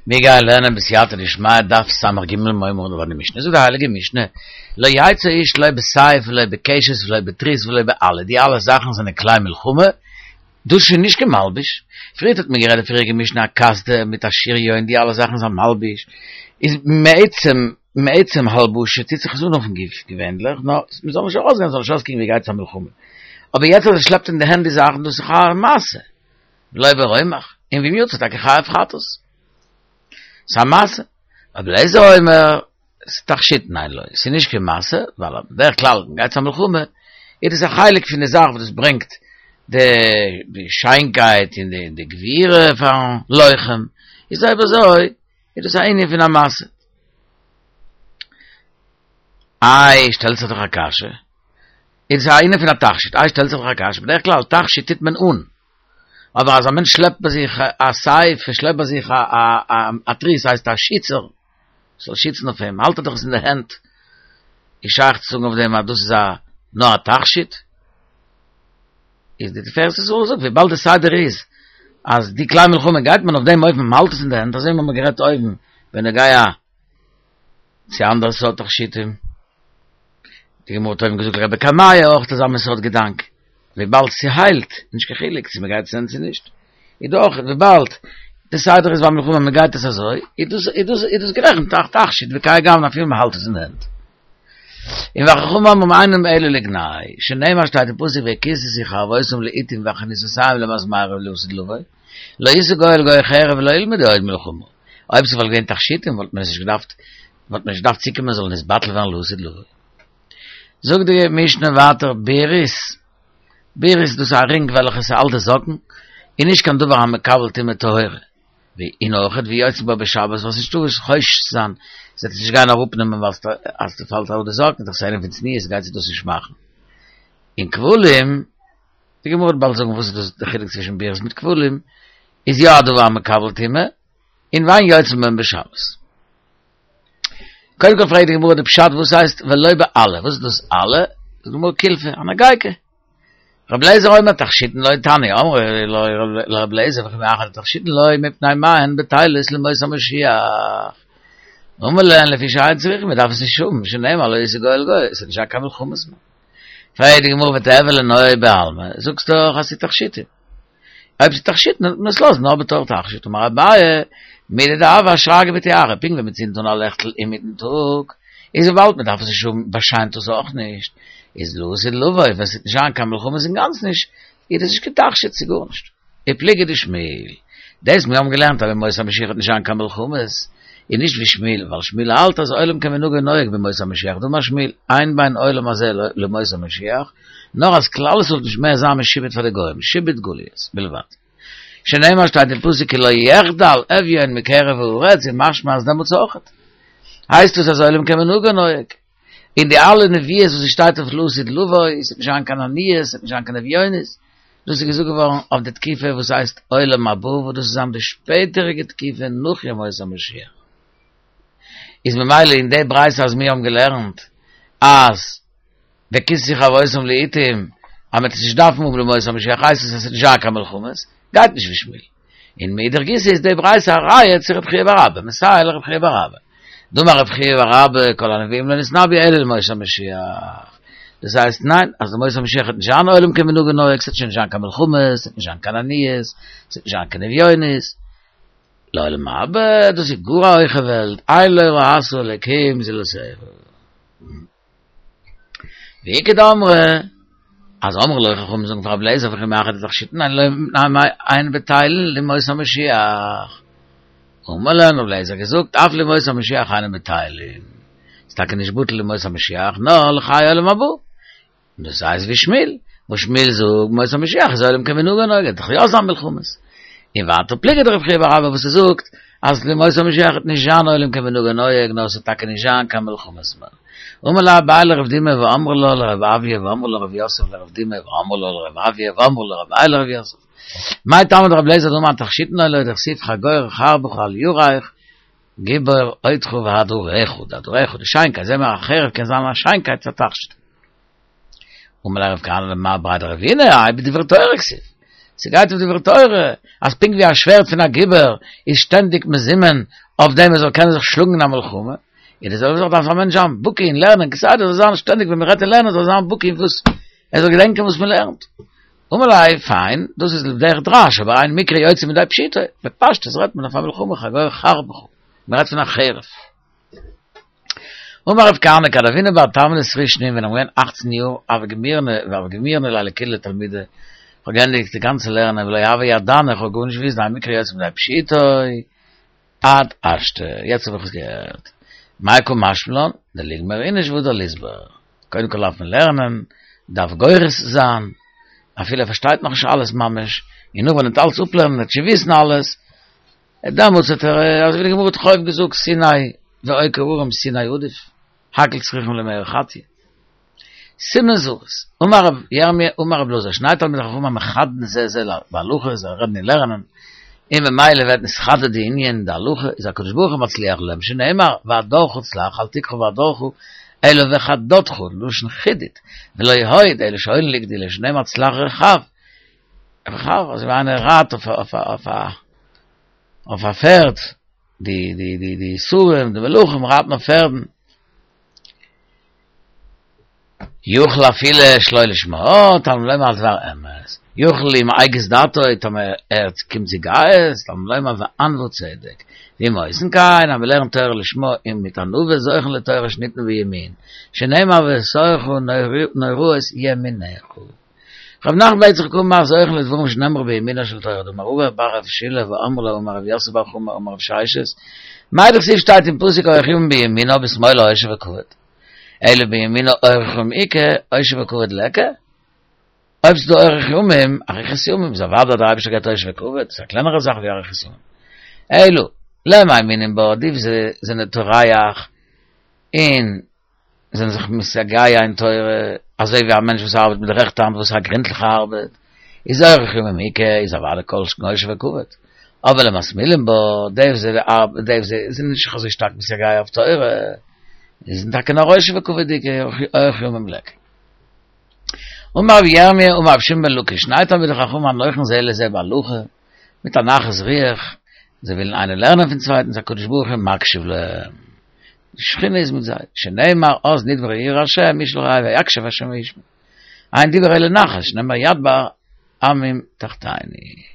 מיר גייען לערנען בסייעתא דשמיא דף סג מורי ורבותי די משנה, זאגט די הייליגע משנה, לא יצא איש לא בסייף ולא בקשת ולא בתריס ולא באלה, די אלע זאכן זענען כלי מלחמה, דאס איז שוין נישט קיין מלבוש, פריערט האט מען גערעדט די פריעריגע משנה א קסדה מיט א שריון די אלע זאכן איז א מלבוש, איז מעצם מעצם הלבשה טוט זיך עס אן אויפן גוף געווענדליך, נאר מען זאל נישט ארויסגיין זאל נישט אויסקוקן ווי גייט צו א מלחמה, אבער יעצט אז ער שלעפט אין די הענט די זאכן דאס איז א משא. ולא ברומח, און ואם יצא טאקע חייב חטאת. ס'איז א משא. רבי אליעזר אומר, תכשיטין הן לו, ס'איז נישט קיין משא, ווייל בדרך כלל ווען מ'גייט צו א מלחמה, איז דאס א חלק פון די זאך וואס דאס ברענגט די שיינקייט און די גבורה פארן לוחם, איז אויב אזוי איז דאס א ענין פון א משא. איי, שטעלט זיך דאך א קשיא, איז עס א ענין פון א תכשיט, איי שטעלט זיך דאך א קשיא, בדרך כלל תכשיט טוט מען אן, אבער אז א מענטש שלעפט ביי זיך א סייף, ער שלעפט ביי זיך א תריס, הייסט א שיצער, ס'זאל שיצן אויף אים, האלט ער דאך עס אין די הענט, איז שייך צו זאגן אויף דעם אז דאס איז א נאר א תכשיט? איז די תפארת ישראל זאגט וויבאלד די סדר איז אז די כלי מלחמה גייט מען אויף דעם אופן מ'האלט עס אין די הענט, אזוי ווי מ'האט גערעדט אויבן בנוגע צו אנדערע סארט תכשיטים. די גמרא האט אויבן געזאגט לגבי קמיע אויך אזא מין סארט געדאנק, וויבאלד ס'היילט, נישט קיין חילוק צו מ'גייט עס אן צו נישט, איז דאך וויבאלד די סדר איז ביי מלחמה מ'גייט עס אזוי, איז דאס איז דאס איז דאס גערעכנט א תכשיט וכהאי גוונא אפילו מ'האלט עס אין די הענט. און וחכמים אומרים אינם אלא לגנאי, שנאמר שטייט אין פסוק וכסתו חרבותם לאתים וחניתותיהם למזמרה לעתיד לבוא, לא ישא גוי אל גוי חרב ולא ילמדו עוד מלחמה. אויב ס'וואלט געווען תכשיטים וואלט מען עס נישט געדארפט, וואלט מען נישט געדארפט צוקומען זאל נתבטל ווערן לעתיד לבוא. זאגט די משנה ווייטער בירית, בירית דאס איז א רינג וועלכע ס'האלט די זאקן, איז נישט קיין דבר המקבל טומאה טהורה, און אויכעט ויוצאין בה בשבת ווייל ס'נישטא וואס חושש צו זיין, זי וועט עס נישט גיין אראפנעמען ווייל אז ס'פאלט אראפ די זאקן איז דאך ס'אן ענין פון צניעות גייט זי דאס נישט מאכן. און כבלים. די גמרא וועט באלד זאגן וואס איז דאס די חילוק צווישן בירית מיט כבלים, איז יא א דבר המקבל טומאה, און ואין יוצאין בהן בשבת. קודם כל פרעגט די גמרא די פשט וואס הייסט ולא באלה, וואס איז דאס אלה? זאגט די גמרא קולפא, א נאגייקע. רבי אליעזר אומר תכשיטין לו תניא, אמרו לו לרבי אליעזר וכי מאחר דתכשיטין לו מפני מה הן בטילות לימות המשיח. אמר להן לפי שאין צריכים, מען דארף עס נישט האבן, שנאמר לא ישא גוי אל גוי, עס איז נישט דא קיין מלחמות מער. פרעגט די גמרא ותיהוי לנוי בעלמא, זאגסט דאך אז ס'איז תכשיטים. אויב ס'איז תכשיטים וועט מען עס לאזן נאר בתור תכשיט. אמר אביי, מידי דהוה אשרגא בתיארא, פונקט ווי מ'צינדט אן א לעכטל אינמיטן טאג, איז וויבאלד מ'דארף עס נישט האבן באשיינט עס אויך נישט, איז לעתיד לבוא, ווען ס'וועט נישט זיין קיין מלחמות אינגאנצן נישט, איז דאס נישט קיין תכשיט צו גארנישט. ופליגא דשמואל, דאס מיר האבן געלערנט אז בימות המשיח וועט נישט זיין קיין מלחמות, איז נישט ווי שמואל, ווייל שמואל האלט אז עולם כמנהגו נוהג בימות המשיח, דאמר שמואל, אין בין עולם הזה לימות המשיח, נאר אז כלל ישראל וועט נישט מער זיין משועבד פאר די גוים, שעבוד גליות, בלבד. שנאמר שטייט אין פסוק כי לא יחדל אביון מקרב הארץ, איז משמע אז דעמאלטס אויכעט. הייסט עס אז עולם כמנהגו נוהג. און די אלע נביאות וואס עס שטייט אויף לעתיד לבוא, עס וועט נישט זיין קיין עניות, עס וועט נישט זיין קיין אביונות, דאס איז געזאגט געווארן אויף די תקופה וואס הייסט עולם הבא, וואס דאס איז זיין די שפעטעריגע תקופה נאך ימות המשיח. איז ממילא אין די ברייתא אז מיר האבן געלערנט אז וכסתו חרבותם לאתים אז מען וועט עס נישט דארפן האבן לימות המשיח הייסט עס אז עס וועט נישט זיין קיין מלחמות, גייט נישט ווי שמואל. און מאידך גיסא איז די ברייתא א ראיה צו רב חייא בר אבא, מסייע לרב חייא בר אבא. דאמר רב חייא בר אבא כל הנביאים לא נתנבאו אלא לימות המשיח. דאס הייסט ניין, אז לימות המשיח וועט נישט זיין עולם כמנהגו נוהג, ס'וועט שוין נישט זיין קיין מלחמות, ס'וועט נישט זיין קיין עניות, ס'וועט נישט זיין קיין אביונות. לעולם הבא, דאס איז גאר א הויכע וועלט, עין לא ראתה אלקים זולתך. ואיכא דאמרי, אז אמרו לו חכמים זאגן פאר רבי אליעזר וכי מאחר דתכשיטין הן לו מפני מה הן בטילין לימות המשיח. אמר להם רבי אליעזר געזאגט אף לימות המשיח אינן בטילין. ס'איז טאקע נישט בטל לימות המשיח נאר לחיי עולם הבא. און דאס הייסט ווי שמואל, וואס שמואל זאגט בימות המשיח איז עולם כמנהגו נוהג, וועט דאך יא זיין מלחמות. און ווייטער פליגא דרב חייא בר אבא וואס ער זאגט אז לימות המשיח וועט נישט זיין עולם כמנהגו נוהג נאר עס וועט טאקע נישט זיין קיין מלחמות מער. אמר ליה אביי לרב דימי ואמרי לה לרב אויא ואמרי לה רב יוסף לרב דימי ואמרי לה לרב אויא ואמרי לה רב איי לרב יוסף. מאי טעמא דרבי אליעזר דאמר תכשיטין הן לו דכתיב חגור חרבך על ירך גיבור עודך והדרך, והדרך די שיינקייט, זעהן מיר א חרב קען זיין א שיינקייט פאר תכשיט. אמר ליה רב כהנא למר בריה דרבינא, האי בדברי תורה כתיב. ס'גייט אויף דברי תורה, אז פונקט ווי א שווערד פון א גיבור איז שטענדיג מזומן אויף דעם ער זאל קענען זיך שלאגן אין א מלחמה, איז די זעלבע זאך דארף א מענטש זיין בקי אין לערנען כסדר זאל זיין שטענדיג ווען מ'רעדט אין לערנען זאל זיין בקי אין וואס ער זאל געדענקען וואס מ'לערנט. אמר ליה, פיין, דאס איז לדרך דרש, אבער אין מקרא יוצא מידי פשוטו, בפשטות רעדט מען אויף א מלחמה חגור חרבך, מ'רעדט פון א חרב. אמר רב כהנא כד הוינא בר תמני סרי שנין ווען איך בין געווען אכצן יאר הוה גמירנא הוה גמירנא ליה לכולא תלמודא כ'האב געענדיגט די גאנצע לערנען ולא הוה ידענא כ'האב גארנישט געוואוסט דאין מקרא יוצא מידי פשוטו עד השתא יעצט האב איך עס געהערט מאי קא משמע לן דליגמר איניש והדר ליסבר קודם כל דארף מען לערנען דארף גורס זיין אפילו ער פארשטייט נאכנישט אלעס ממש און נאך ווען ער וועט אלעס אפלערנען וועט שוין וויסן אלעס דעמאלטס האט ער, אזוי ווי די גמרא האט דאך אויבן געזאגט, סיני ועוקר הרים סיני עדיף, הכל צריכים למאה חטיא. סימן זריז, אמר רב ירמי' אמר רב אלעזר, שני תלמידי חכמים המחדדין זה זה בהלכה, זיי רעדן אין לערנען, און ממילא ווערט נתחדד די ענין די הלכה, איז הקדוש ברוך הוא מצליח להם, שנאמר, והדרך צלח, אל תקרא והדרך, אלא וחדדך, לשון חידוד, ולא עוד, אלא שהואילין לגדילה, שנאמר צלח רכב, רכב, אזוי ווי איינער רייט אויף אויף אויף א אויף א פערד, די די די די שרים, די מלכים רייטן אויף פערדן. יכול אפילו שלא לשמה, תלמוד לומר על דבר אמת. יכול אם הגיז דעתו, טאמער ער קומט צו גאות, תלמוד לומר וענוה צדק. ואם עושין כן, אז מ'לערנט תורה לשמה און מיט ענווה זוכים לתורה שניתנה בימין, שנאמר ובתוכה נוראות ימינך. רב נחמן בר יצחק אמר זוכים לדברים שנאמרו בימינה של תורה דאמר רבא בר רב שילא ואמרי לה אמר רב יוסף בר חמא אמר רב ששת מאי דכתיב שטייט אין פסוק אורך ימים בימינה בשמאלה עושר וכבוד אלא בימינה אורך ימים איכא עושר וכבוד ליכא אויב ס'דא אורך ימים אריכות ימים איז אוודאי דער אייבערשטער געבט עושר וכבוד ס'איז א קלענערע זאך ווי אריכות ימים אלא למאמינים בה די וואס זענען טורח און זענען זיך מתייגע אין תורה, אזוי ווי א מענטש וואס ארבעט מיט די רעכטע האנט וואס איז א גרינטליכע ארבעט, איז אורך ימים איכא, איז אוודאי כל שכן עושר וכבוד. אבער למשמאילים בה, די וואס די וואס זענען נישט אזוי שטארק מתייגע אויף תורה, איז טאקע נאר עושר וכבוד איכא, אורך ימים ליכא. אמר רבי ירמי' אמר רבי שמעון בן לקיש, שני תלמידי חכמים הנוחין זה לזה בהלכה, מיט א נחת רוח, זיי ווילן איינער לערנען פון צווייטן, איז הקדוש ברוך הוא מקשיב להם, די שכינה איז מיט זיי, שנאמר אז נדברו יראי השם איש אל רעהו ויקשב השם וישמע, אין דיבור אלא נחת, שנאמר ידבר עמים תחתיני.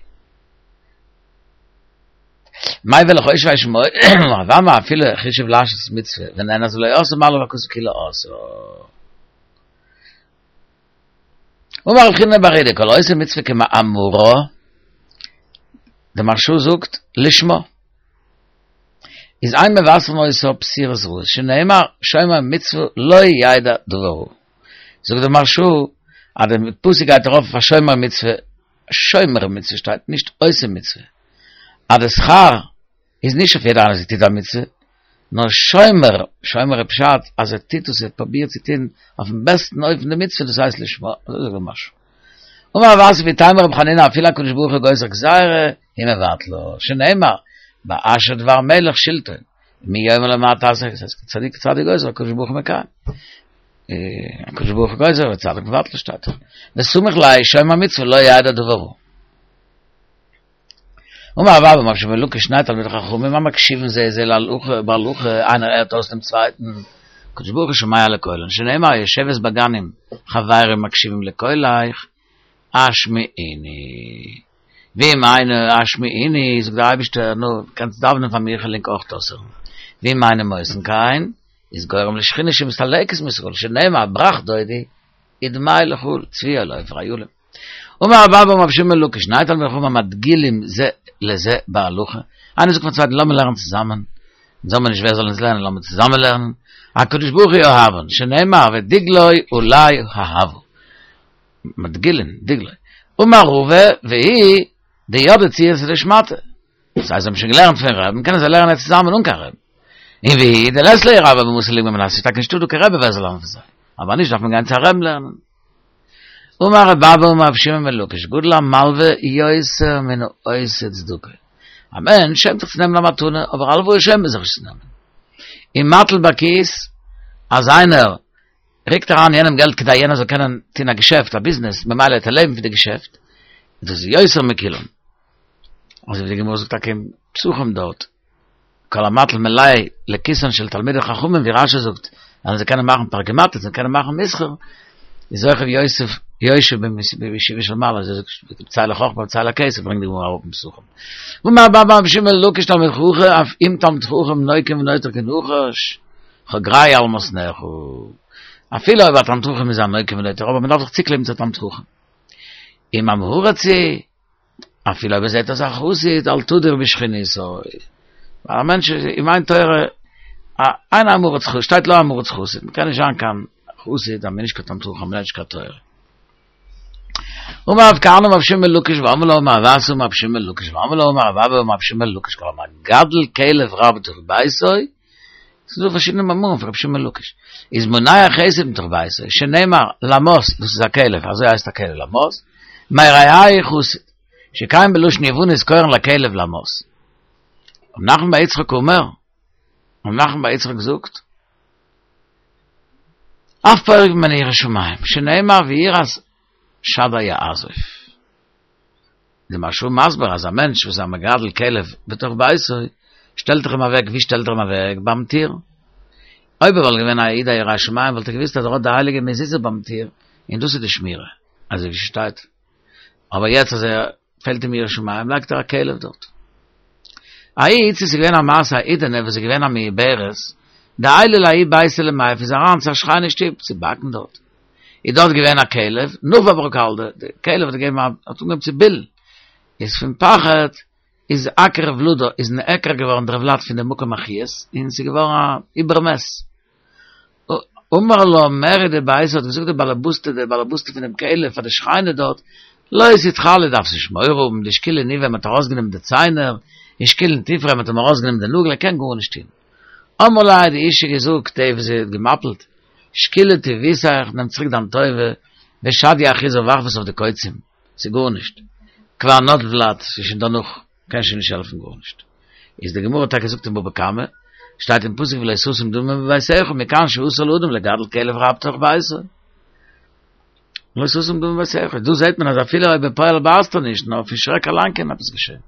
מאי וועל איך אויסוויישן מוי, רב אמי אפילו חישב לעשות מצוה, ונאנס ולא עשה מעלה הכתוב כאילו עשה. אמר רב חיננא בר אידי, כל העושה מצוה כמאמרה, דער מהרש"א זאגט, לשמה. איז אין מבשרין אותו בשורות רעות, שנאמר, שומר מצוה לא ידע דבר רע. זאגט דער מהרש"א, אז דער פסוק גייט ארויף אויף א שומר מצוה, שומר מצוה שטייט, נישט עושה מצוה. אז די שכר איז נישט אויף יעדער איינער וואס טוט א מצוה, נאר שומר, שומר איז פשט אז ער טוט עס, ער פרובירט צו טון אויפן בעסטן אופן די מצוה, דאס הייסט לשמה, אזוי זאגט דער מהרש"א. אמר רב אסי ואיתימא רבי חנינא אפילו הקדוש ברוך הוא גוזר גזירה, הוא מבטלה, שנאמר, באשר דבר מלך שלטון, מי יאמר לו מה תעשה, צדיק צדיק גוזר, הקדוש ברוך הוא מקיים. הקדוש ברוך הוא גוזר וצדיק מבטל שטייט דאך. וסמיך ליה שומר מצוה לא ידע דבר רע. אמר רב אבא אמר רבי שמעון בן לקיש שני תלמידי חכמים המקשיבין זה לזה להלכה בהלכה איינער הערט אויס דעם צווייטן הקדוש ברוך הוא שומע לקולן שנאמר היושבת בגנים חברים מקשיבים לקולך השמיעיני ואם אינו השמיעיני זאגט דער אייבערשטער נו קענסט דאווענען פאר מיר איך וועל ענק אויך אויסהערן ואם אינם עושין כן איז גורם לשכינה שמסתלקת מישראל שנאמר ברח דודי ודמי לך צבי על עופר אילים אמר רב אבא אמר רבי שמעון בן לקיש, שני תלמידי חכמים המדגילים זה לזה בהלכה, איינער זאגט פארן צווייטן לאמיר לערנען צוזאמען, אונז האמיר נישט ווער זאל אונז לערנען לאמיר צוזאמען לערנען, הקדוש ברוך הוא אוהבן, שנאמר ודגלו עלי אהבה, מדגילין, דגלו, אמר רבא והוא דידעי ציעתא דשמעתא, דאס הייסט זיי האבן שוין געלערנט פון רבי'ן קענען זיי לערנען יעצט צוזאמען אן קיין רבי'ן. און והוא דלית להו רבה במתא לגמר מינייהו ס'איז טאקע נישטא דא קיין רבי ווער זאל לערנען פון זיי, אבער נישט דארף מען גיין צו א רבי'ן לערנען. אמר רבי אבא אמר רבי שמעון בן לקיש גדול המלווה יותר מן העושה צדקה. א מענטש שעמט זיך צו נעמען א מתנה, אבער הלוואה שעמט מען זיך נישט צו נעמען. ומטיל בכיס, אז איינער ריקט אריין יענעם געלט כדי יענער זאל קענען טון א געשעפט, א ביזנעס, ממילא וועט ער לעבן פון די געשעפט. דאס איז יותר מכולם. אזוי ווי די גמרא זאגט טאקע אין פסחים דארט, כל המטיל מלאי לכיסן של תלמידי חכמים ווי רשי זאגט, אז זיי קענען מאכן פרגמטית, זיי קענען מאכן מסחר, איז אויך יוסף יושב בישיבה של מעלה, אזוי זאגט בצל החכמה בצל הכסף ברענגט די גמרא אראפ אין פסחים. ואמר רבה בר שמעון בן לקיש תלמיד חכם, אף אם תלמיד חכם נוקם ונוטר כנחש, חגרהו על מתניך. אפילו אויב א תלמיד חכם איז א נוקם ונוטר, אבער מען דארף זיך צוקלעבן צו א תלמיד חכם. אם עם הארץ הוא, אפילו אויב ער זעט אויס א חסיד, אל תדור בשכנותו. ווייל א מענטש איז, אם אין תורה, אין עם הארץ חסיד, שטייט לא עם הארץ חסיד, מען קען נישט זיין קיין חסיד אז מען איז נישט קיין תלמיד חכם, מען לערנט נישט קיין תורה. אמר רב כהנא אמר רבי שמעון בן לקיש ואמרי לה אמר רב אסי אמר רבי שמעון בן לקיש ואמרי לה אמר רב אבא אמר רבי שמעון בן לקיש כל המגדל כלב רע בתוך ביתו, ס'איז דא פארשידענע מאמרים פון רבי שמעון בן לקיש, איז מונע חסד מתוך ביתו, שנאמר למס, דאס איז א כלב, אזוי הייסט א כלב למס, מרעהו חסיד, שכן בלשון יוונית קורין לכלב למס. רב נחמן בר יצחק אומר, רב נחמן בר יצחק זאגט, אף פורק ממנו יראת שמים, שנאמר ויראת שדי יעזוב. די מהרש"א מסביר אז א מענטש וואס איז א מגדל כלב בתוך ביתו, שטעלט ער אים אוועק, ווי שטעלט ער אים אוועק? ביים טיר. אויב ער וואלט געווען א איד א ירא שמים וואלט ער געוואוסט אז ער האט די הייליגע מזוזה ביים טיר, און דאס איז די שמירה, אזוי ווי ס'שטייט. אבער יעצט אז ער פעלט אים יראת שמים לייגט ער א כלב דארט. ההיא איתתא ס'איז געווען א מעשה א אידענע וואס איז געווען א מעוברת, דעיילא לההוא ביתא למיפא איז אריין צו א שכנה שטוב צו באקן דארט. איז דארט געווען א כלב, נבח ברא כלבא, די כלב האט געגעבן א, האט אנגעהויבן צו בילן, איז פון פחד איז אקרי ולדא, איז נעקר געווארן דער ולד פון די מקום החיות, און ס'איז געווארן א איבר מת. אמרה לה מריה דביתא האט געזאגט די באלעבאסטע די באלעבאסטע פון דעם כלב פאר די שכנה דארט, לא תתחלאי דארפסט נישט מורא האבן, דשקילא ניביה מ'האט ארויסגענומען די ציינער, און שקילין טופריה מ'האט אים ארויסגענומען די נאגל ער קען גארנישט טון. אמרה לה האט די אישה געזאגט די וואס זי האט געמפיל'ט, שקילי טיבותיך נעם צוריק דיין טובה, ושדיא אחריזי ווארף עס אויף די קוצים, ס'איז גארנישט, כבר נטל ולד, ס'איז שוין דערנאך, קען שוין נישט העלפן גארנישט. איז די גמרא טאקע זאגט אין בבא קמא, שטייט אין פסוק ולא תשים דמים בביתך, מכאן שאסור לאדם לגדל כלב רע בתוך ביתו. לא תשים דמים בביתך, דא זעט מען אז אפילו אויב בפועל בייסט ער נישט, נאר פון שרעק אליין קען עפעס געשען.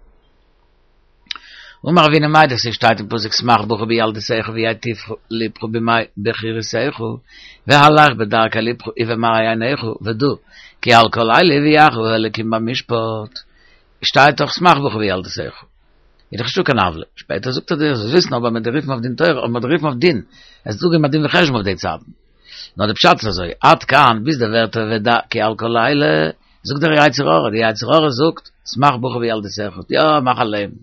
אמר רבינא מאי דכתיב שטייט אין פסוק שמח בחור בילדותך וייטיב לבך בימי בחורותיך והלך בדרכי לבך ובמראה עיניך ודע כי על כל אלה יביאך האלקים במשפט שטייט דאך שמח בחור בילדותך איז דאך נישטא קיין עוולה שפעטער זאגט ער דיר זאלסט וויסן אבער מ'וועט דיר רופן אויף דין תורה אויב מ'וועט דיר רופן אויף דין עס איז דא געבן א דין וחשבון אויף די צייטן נאר די פשט איז אזוי עד כאן ביז די ווערטער ודע כי על כל אלה זאגט דער יצר הרע, די יצר הרע זאגט, שמח בחור בילדותך, יא, מאך א לעבן.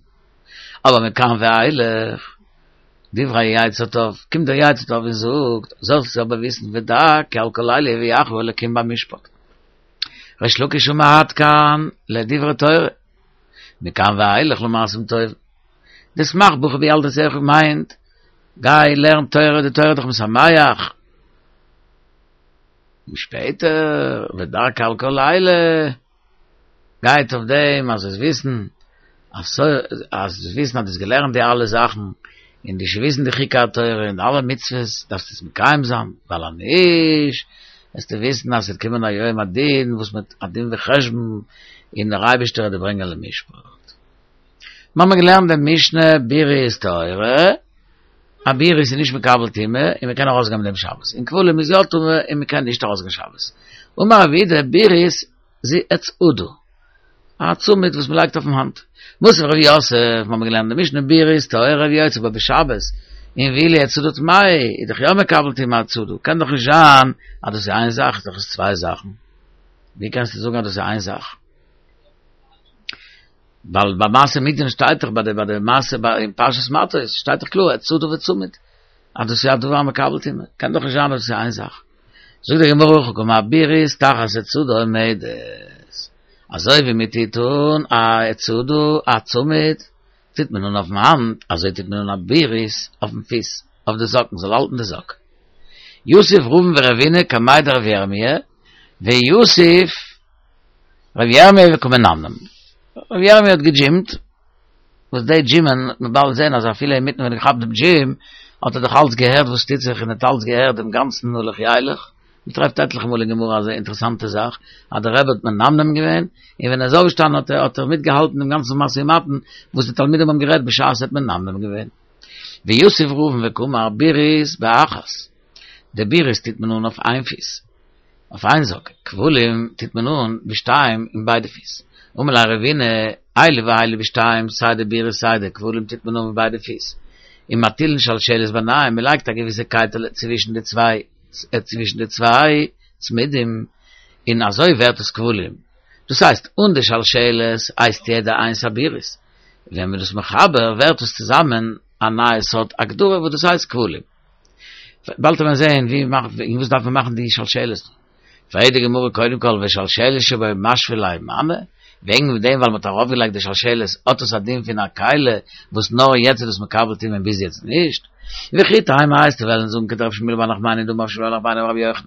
אבער מכאן ואילך, דברי יצר טוב, קומט דער יצר טוב און זאגט, זאלסט אבער וויסן ודע כי על כל אלה יביאך האלקים במשפט. ריש לקיש אמר עד כאן לדברי תורה, מכאן ואילך למעשים טובים. די שמח בחור בילדותך מיינט, גיי לערן תורה, די תורה איז דיך משמח. און שפעטער ודע כי על כל אלה גייט אויף דעם אז זאלסט וויסן אז זאלסט וויסן אז דו האסט געלערנט די אלע זאכן און דו וויסן די חוקי התורה און די אלע מצוות דארפסטו עס מקיים זיין ווייל אז נישט וועסטו וויסן אז ס'וועט קומען א יום הדין וואס מיט א דין וחשבון און דער אייבערשטער וועט דיר ברענגען למשפט. מיר האבן געלערנט די משנה בירית טהורה. א בירית איז נישט מקבל טומאה און מען קען ארויסגיין מיט דעם שבת, און כבלים איז יא טמא און מען קען נישט ארויסגיין שבת. אמר רב יהודה בירית זו אצעדה, א צמיד וואס מען לייגט אויפן האנט. מתיב רב יוסף, מיר האבן געלערנט די משנה בירית טהורה ויוצא בה בשבת, און ואילו אצעדה טמאה, איז דאך יא מקבל טומאה אצעדה, קען דאך נישט זיין אז דאס איז איין זאך, איז דאך עס צוויי זאכן, ווי קענסטו זאגן אז דאס איז איין זאך? ווייל ביי מעשה מדין שטייט דאך ביי די ביי די מעשה ביי אין פרשת מטות שטייט דאך קלאר אצעדה וצמיד אז דאס איז א דבר המקבל טומאה קען דאך נישט זיין אז דאס איז איין זאך זאגט די גמרא הכי קאמר בירית תחת אצעדה עומדת אזוי ווי מען טוט אן א אצעדה א צמיד טוט מען אן אויפן האנט אזוי טוט מען אן א בירית אויפן פיס אויף די זאקן זאל האלטן די זאק יתיב רבין ורבינא קמיה דרב ירמי' ויתיב רבי ירמי' וקא מנמנם. רבי ירמי' האט געדזשימט, וואס די דזשימען וועט מען באלד זען אז אפילו אינמיטן ווען ער האט געכאפט דעם דזשים, האט ער דאך אלץ געהערט וואס טוט זיך און האט אלץ געהערט דעם גאנצן הלוך ילך. מען טרעפט עטליכע מאל אין גמרא אזא אינטערעסאנטע זאך, אז דער רבי האט מנמנם געווען, און ווען ער איז אויפגעשטאנען האט ער האט ער מיטגעהאלטן דעם גאנצן משא ומתן וואס די תלמידים האבן גערעדט בשעת ער האט מנמנם געווען. ויתיב רבין וקאמר בירית באחת, די בירית טוט מען אן אויף איין פיס, אויף איין זאק, כבלים טוט מען אן בשתיים אין ביידע פיס. אמר ליה רבינא, אלו ואלו בשתיים, סיי די בירית סיי די כבלים טוט מען אן מיט ביידע פיס. ומטילין שלשלת ביניהם, מען לייגט א געוויסע קייטעלע צווישן די צוויי צווישן די צוויי צמידים, און אזוי ווערט עס כבלים. דאס הייסט, אן די שלשלת הייסט יעדע איינס א בירית. ווען מען איז דאס מחבר ווערט עס צוזאמען א נייע סארט הגדרה וואס דאס הייסט כבלים. באלד וועט מען זעהן ווי מאכט אין וואס דארף מען מאכן די שלשלת. פרעגט די גמרא קודם כל ושלשלת שבו משוי ליה מני, וועגן דעם ווייל מען האט ארויף געלייגט די שלשלת האט עס א דין פון א כלי וואס נאר יעצט איז דאס מקבל טומאה און ביז יעצט נישט. וכי תימא וועסטו וועלן זאגן כדרב שמואל בר נחמני דאמר רב שמואל בר נחמני אמר רבי יוחנן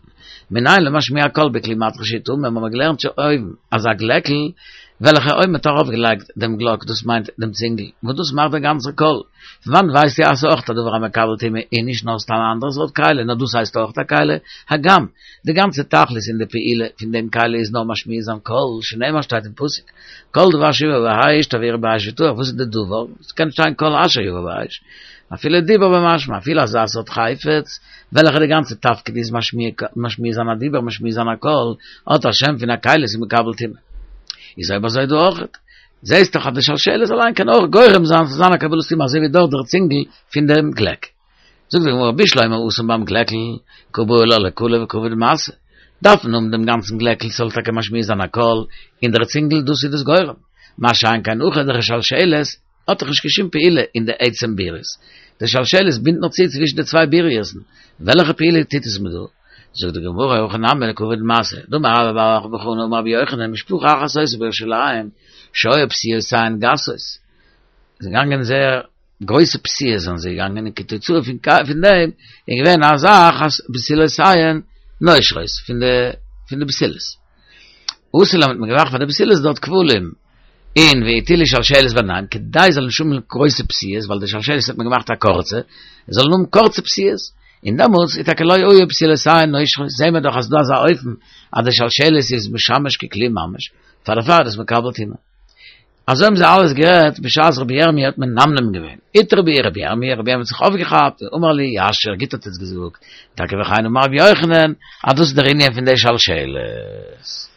מנין למשמיע קול בכלי מתכות שהוא טמא האבן מיר געלערנט שוין אויבן אז א גלעקל וועלכע אויב מען האט ארויף געלייגט דעם גלאק דאס מיינט דעם צינגל וואס דאס מאכט דער גאנצער קול פון וואנעט ווייסטו אז ס'איז אויך א דבר המקבל טומאה און נישט נאר סתם א אנדערע סארט כלי נאר דאס הייסט אויך א כלי, הגם די גאנצע תכלית און די פעולה פון דעם כלי איז נאר משמיע זיין קול, שנאמר שטייט אין פסוק כל דבר אשר יבא באש תעבירו באש וטהר, וואס איז די דבר? ס'קען שטיין כל אשר יבא באש, אפילו דיבור במשמע, אפילו אזא סארט חפץ וועלכע די גאנצע תפקיד איז משמיע זיין א דיבור משמיע זיין א קול, האט א שם פון א כלי ס'איז מקבל טומאה. איז אויב אזוי דא אויך. זעהסט דאך אז די שלשלת אליין קען אויך גורם זיין ס'זאל זיין א קבלת טומאה אזוי ווי דארט דער צינגל פון דעם גלעק. זאגט די גמרא בשלמא התם ביים גלעקל קא בעי לה לקלא וכבוד משא, דארף מען האבן דעם גאנצן גלעקל ס'זאל טאקע משמיע זיין א קול, און דער צינגל דאס איז דאס גורם, מה שאין כן הכא דער שלשלת האט דאך נישט קיין שום פעולה אין די עצם בירית, די שלשלת בינדט נאר צו צווישן די צוויבירות'ן, וועלכע פעולה טוט עס מיר דא? זאגט די גמרא הכא נמי לכבוד משא, דאמר רבה בר בר חנה אמר רבי יוחנן משפחה אחת היתה בירושלים שהיו פסיעותיהן גסות, זיי געגאנגען זייער גרויסע פסיעות זענען זיי געגאנגען און כתוצאה פון פון דעם איז געווען א זאך אז בתולותיהן נושרות פון די פון די בתולות. עשו להם האט מען געמאכט פאר די בתולות דארט כבלים און והטילו שלשלת ביניהם כדי זאלן נישט האבן גרויסע פסיעות ווייל די שלשלת האט מען געמאכט א קורצע זאלן האבן קורצע פסיעות און דעמאלטס איז טאקע לא היו בתולותיהן נושרות זעהן מיר דאך אז ס'דא אזא אופן אז די שלשלת איז משמש ככלי ממש פאר דערפאר איז עס מקבל טומאה. אזוי האבן זיי אלעס גערעדט בשעת רבי ירמי' האט מנמנם געווען. איתרע בהו רבי ירמי', רבי ירמי' האט זיך אויפגעכאפט, ואמר להו יישר, גוט האט עטס געזאגט, טאקע וכן אמר רבי יוחנן, אז דאס איז דער ענין פון די שלשלת.